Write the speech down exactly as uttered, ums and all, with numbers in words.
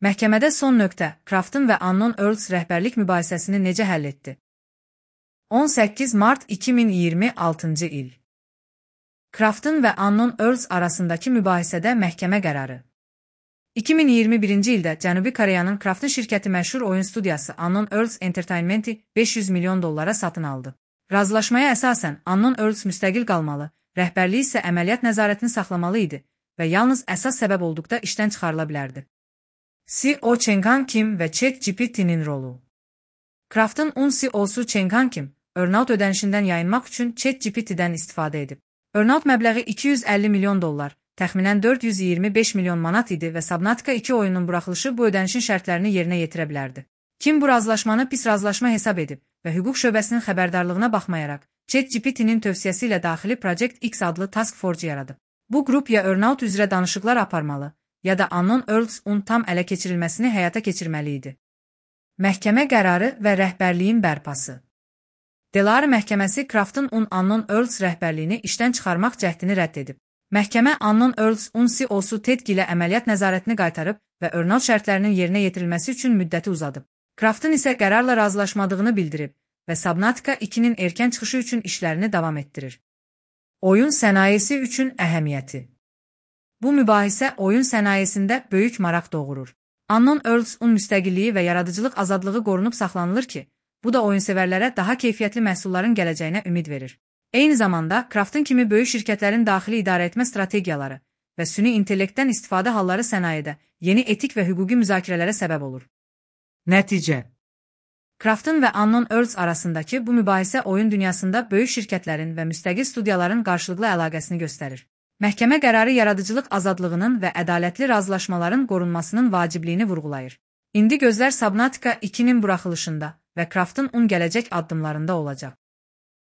Məhkəmədə son nöqtə Krafton və Unknown Earls rəhbərlik mübahisəsini necə həll etdi? on səkkiz mart iki min iyirmi altıncı il. Krafton və Unknown Earls arasındakı mübahisədə məhkəmə qərarı. iki min iyirmi birinci ildə Cənubi Koreyanın Krafton şirkəti məşhur oyun studiyası Unknown Earls Entertainment-i beş yüz milyon dollara satın aldı. Razılaşmaya əsasən Unknown Earls müstəqil qalmalı, rəhbərliyi isə əməliyyat nəzarətini saxlamalı idi və yalnız əsas səbəb olduqda işdən çıxarıla bilərdi. C E O Cheng Han Kim və ChatGPT-nin rolu. Krafton-un C E O'su Cheng Han Kim, earnout ödənişindən yayınmaq üçün ChatGPT-dən istifadə edib. Earnout məbləği iki yüz əlli milyon dollar, təxminən dörd yüz iyirmi beş milyon manat idi və Subnautica iki oyunun buraxılışı bu ödənişin şərtlərini yerinə yetirə bilərdi. Kim bu razılaşmanı pis razılaşma hesab edib və hüquq şöbəsinin xəbərdarlığına baxmayaraq, ChatGPT-nin tövsiyəsi ilə daxili Project X adlı Task Force yaradıb. Bu qrup ya earnout üzrə danışıqlar aparmalı, ya da Unknown Earls-un tam ələ keçirilməsini həyata keçirməli idi. Məhkəmə qərarı və rəhbərliyin bərpası. Delaware məhkəməsi Krafton-un Unknown Earls rəhbərliyini işdən çıxarmaq cəhdini rədd edib. Məhkəmə Unknown Earls-un C E O'su Ted Gilə əməliyyat nəzarətini qaytarıb və earnout şərtlərinin yerinə yetirilməsi üçün müddəti uzadıb. Krafton isə qərarla razılaşmadığını bildirib və Subnautica ikinin erkən çıxışı üçün işlərini davam etdirir. Oyun sənayesi üçün əhəmiyyəti. Bu mübahisə oyun sənayesində böyük maraq doğurur. Unknown Earls-un müstəqilliyi və yaradıcılıq azadlığı qorunub saxlanılır ki, bu da oyunsevərlərə daha keyfiyyətli məhsulların gələcəyinə ümid verir. Eyni zamanda, Krafton kimi böyük şirkətlərin daxili idarəetmə strategiyaları və süni intellektdən istifadə halları sənayedə yeni etik və hüquqi müzakirələrə səbəb olur. Nəticə. Krafton və Unknown Earls arasındakı bu mübahisə oyun dünyasında böyük şirkətlərin və müstəqil studiyaların qarşılıqlı əlaqəsini göstərir. Məhkəmə qərarı yaradıcılıq azadlığının və ədalətli razılaşmaların qorunmasının vacibliyini vurğulayır. İndi gözlər Subnautica ikinin buraxılışında və Krafton-un gələcək addımlarında olacaq.